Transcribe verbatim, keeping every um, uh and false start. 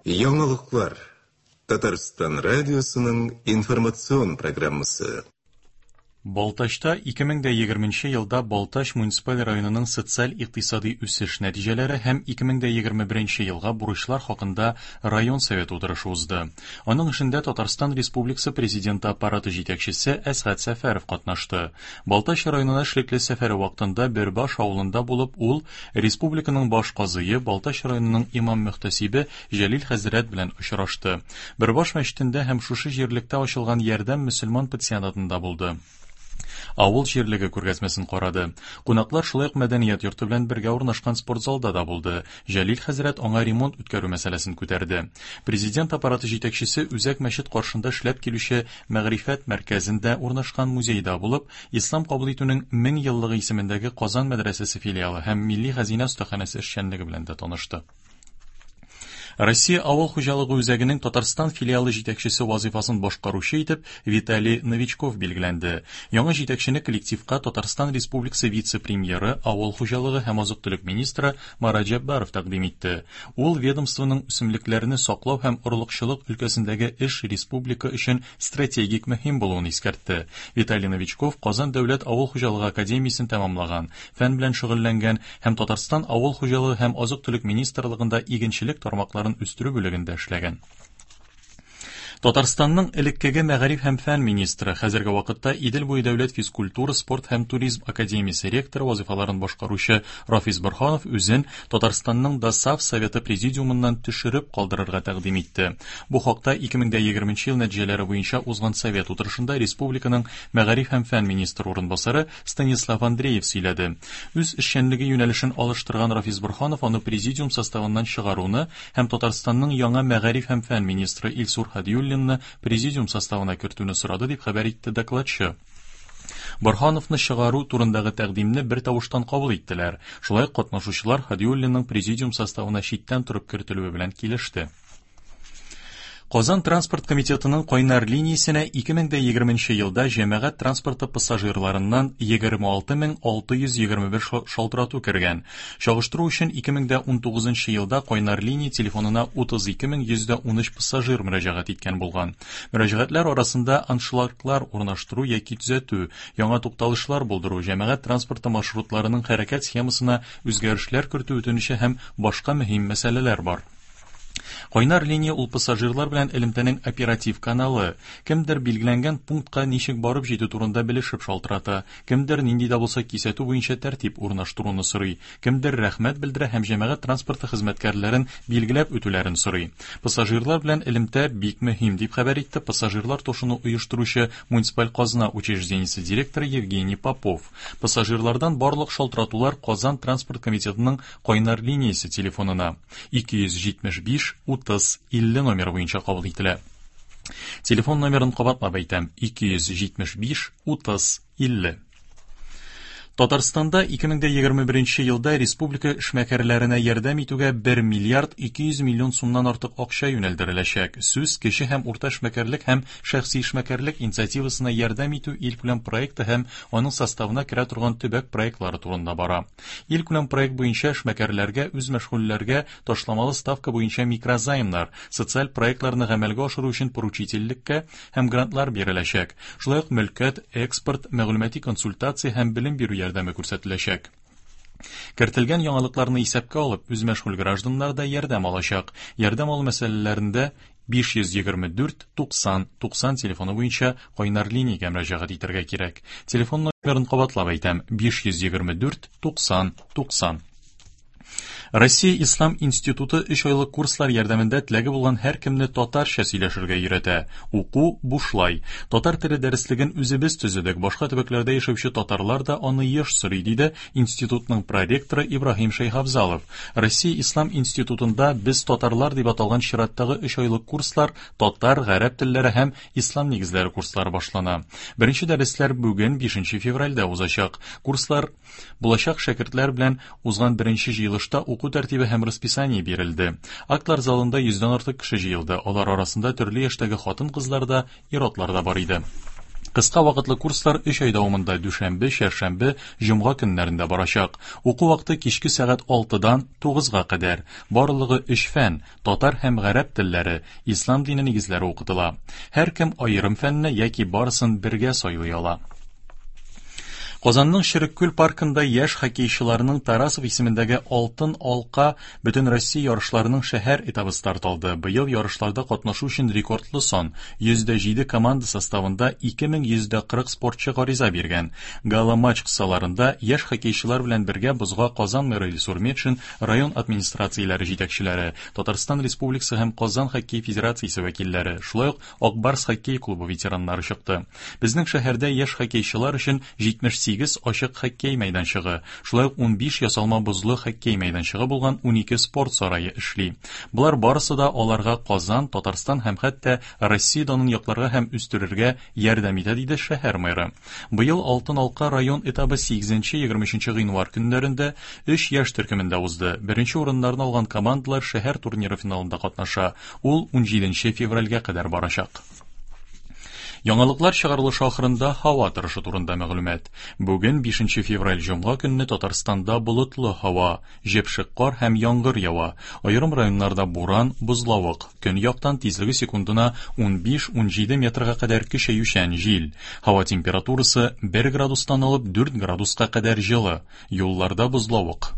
Яңалыклар. Татарстан радиосының информацион программасы. Балтачта ике мең дә егерменче елда Балтач муниципаль районының социаль-икътисади үсеш нәтиҗәләре һәм ике мең дә егерме беренче елга бурычлар хакында район советы утырышы узды. Аның эшендә Татарстан Республикасы Президенты аппараты җитәкчесе Әсгать Сәфәров катнашты. Балтач районына эшлекле сәфәре вакытында Бөрбаш авылында булып, ул республиканың баш казые, Балтач районының имам-мөхтәсибе Җәлил хәзрәт белән очрашты. Бөрбаш мәчетендә һәм шушы җирлектә ачылган Ярдәм мөселман пансионатында булды. Авыл җирлеге күргәзмәсен карады. Кунаклар шулай ук мәдәният йорты белән бергә урнашкан спортзалда да булды. Җәлил хәзрәт аңа ремонт үткәрү мәсьәләсен күтәрде. Президент аппараты җитәкчесе үзәк мәчет каршында эшләп килүче Мәгърифәт мәркәзендә урнашкан музейда булып, Ислам кабул итүнең мең еллыгы исемендәге Казан мәдрәсәсе филиалы һәм Милли хәзинә остаханәсе эшчәнлеге белән дә танышты. Россия авыл хуҗалыгы үзәгенең Татарстан филиалы җитәкчесе вазифасын башкаручы итеп Виталий Новичков билгеләнде. Яңа җитәкчене коллективка Татарстан Республикасы вице-премьеры, авыл хуҗалыгы һәм азык-төлек министры Марат Җәббаров тәкъдим итте. Ул ведомствоның үсемлекләрне саклау һәм орлыкчылык өлкәсендәге эш республика өчен стратегик мөһим булуын искәртте. Виталий Новичков Казан дәүләт авыл хуҗалыгы академиясен тәмамлаган, фән белән шөгыльләнгән һәм Татарстан авыл хуҗалыгы һәм азык-төлек министрлыгында игенчелек тармакларын үстерү бүлегендә эшләгән. Татарстанның элеккеге мәгариф һәм фән министры, хәзерге вакытта Идел буе дәүләт физкультура, спорт һәм туризм академиясе ректоры вазифаларын башкаручы Рафис Борһанов үзен Татарстанның ДОСААФ Советы президиумыннан төшереп калдырырга тәкъдим итте. Бу хакта ике мең дә егерменче ел нәтиҗәләре буенча узган совет утырышында республиканың мәгариф һәм фән министры урынбасары Станислав Андреев сөйләде. Үз эшчәнлеге юнәлешен алыштырган Рафис Борһанов аны президиум составыннан чыгаруны һәм Татарстанның яңа мәгариф һәм фән министры Илсур Һадиуллинны президиум составына кертүне сорады, дип хәбәр итте докладчы. Борһановны чыгару турындагы тәкъдимне бер тавыштан кабул иттеләр. Шулай ук катнашучылар Һадиуллинның президиум составына читтән торып кертелүе белән килеште. Казан транспорт комитетының кайнар линиясенә ике мең дә егерменче елда җәмәгать транспорты пассажирларыннан егерме алты мең алты йөз егерме бер шалтырату кергән. Чагыштыру өчен ике мең дә унтугызынчы елда кайнар линия телефонына утыз ике мең йөз дә унөч пассажир мөрәҗәгать иткән булган. Мөрәҗәгатьләр арасында аншлаглар урнаштыру яки төзәтү, яңа тукталышлар булдыру, җәмәгать транспорты маршрутларының хәрәкәт схемасына үзгәрешләр кертү үтенече һәм башка мөһим мәсьәләләр бар. Кайнар линия ул пассажирлар белән элемтәнең оператив каналы. Кемдер билгеләнгән пунктка ничек барып җитү турында белешеп шалтырата, кемдер нинди дә булса кисәтү буенча тәртип урнаштыруны сорый, кемдер рәхмәт белдерә һәм җәмәгать транспорты хезмәткәрләрен билгеләп үтүләрен сорый. Пассажирлар белән элемтә бик мөһим, дип хәбәр итте пассажирлар ташуны оештыручы муниципаль казна учреждениесе директоры Евгений Попов. Пассажирлардан барлык шалтыратулар Казан транспорт комитетының кайнар линиясе телефонына ике йөз җитмеш биш утыз илле номер буенча кабул ителә. Телефон номерын кабатлап әйтәм: ике йөз җитмеш биш утыз илле. Татарстанда ике мең дә егерме беренче елда республика эшмәкәрләренә ярдәм итүгә бер миллиард ике йөз миллион сумнан артык акча юнәлдереләчәк. Сүз кеше һәм урта эшмәкәрлек һәм шәхси эшмәкәрлек инициативасына ярдәм итү илкүләм проекты һәм аның составына керә торган төбәк проектлары турында бара. Илкүләм проект буенча эшмәкәрләргә, үзмәшгульләргә ташламалы ставка буенча микрозаймнар, социаль проектларны гамәлгә ашыру өчен поручительлеккә һәм грантлар биреләчәк. Шулай ук мөлкәт, экспорт, мәгълүмати консультация һәм белем бирү ярдәме күрсәтеләчәк. Кертелгән яңалыкларны исәпкә алып, үзмәшгуль гражданнар да ярдәм алачак. Ярдәм алу мәсьәләләрендә биш йөз егерме дүрт туксан туксан телефоны буенча кайнар линиягә мөрәҗәгать итәргә кирәк. Телефон номерын кабатлап әйтәм: биш йөз егерме дүрт туксан туксан. Россия Ислам институты өч айлык курслар ярдәмендә теләге булган һәркемне татарча сөйләшергә өйрәтә. Уку бушлай. Татар теле дәреслеген үзебез төзедек. Башка төбәкләрдә яшәүче татарлар да аны еш сорый, диде институтның проректоры Ибраһим Шәйхабзалов. Россия Ислам институтында без татарлар дип аталган чираттагы өч айлык курслар татар, гарәп телләре һәм ислам нигезләре курслары башлана. Беренче дәресләр бүген бишенче февральдә узачак. Курслар булачак шәкертләр белән узган беренче җыелышта уку тәртибе һәм расписание бирелде. Актлар залында йөздән артык кеше җыелды. Алар арасында төрле яшьтәге хатын-кызлар да, ир-атлар да бар иде. Кыска вакытлы курслар өч ай дәвамында дүшәмбе, чәршәмбе, җомга көннәрендә барачак. Уку вакыты кичке сәгать алтыдан тугызга кадәр. Барлыгы өч фән – татар һәм гарәп телләре, ислам дине нигезләре укытыла. Һәркем аерым фәнне яки барысын бергә сайлый ала. Казанның Череккүл паркында яшь хоккейчыларның Тарасов исемендәге Алтын алка Бөтенроссия ярышларының шәһәр этабы старт алды. Быел ярышларда катнашу өчен рекордлы сан йөз дә җиде команда составында ике мең йөз дә кырык спортчы гариза биргән. Гала-матч кысаларында яшь хоккейчылар белән бергә бозга Казан мэры Илсур Метшин, район администрацияләре җитәкчеләре, Татарстан Республикасы һәм Казан хоккей федерациясе вәкилләре, шулай ук Ак Барс хоккей клубы ветераннары чыкты. Безнең шәһәрдә яшь хоккейчылар өчен җитмеш сигез ачык хоккей мәйданчыгы, шулай ук унбиш ясалма бозлы хоккей мәйданчыгы булган унике спорт сарае эшли. Болар барысы да аларга Казан, Татарстан һәм хәтта Россия данын якларга һәм үстерергә ярдәм итә, диде шәһәр мэры. Быел Алтын алка район этабы сигезенче егерме өченче гыйнвар көннәрендә өч яшь төркемендә узды. Беренче урыннарны алган командалар шәһәр турниры финалында катнаша. Ул унҗиденче февральгә кадәр барачак. Яңалыклар чыгарылышы ахырында һава торышы турында мәгълүмат. Бүген бишенче февраль җомга көнне Татарстанда болытлы һава, җепшек кар һәм яңгыр ява. Аерым районнарда буран, бозлавык. Көньяктан тизлеге секундына унбиш-унҗиде метрга кадәр көчәючән җил. Һава температурасы бер градустан алып дүрт градуска кадәр җылы. Юлларда бозлавык.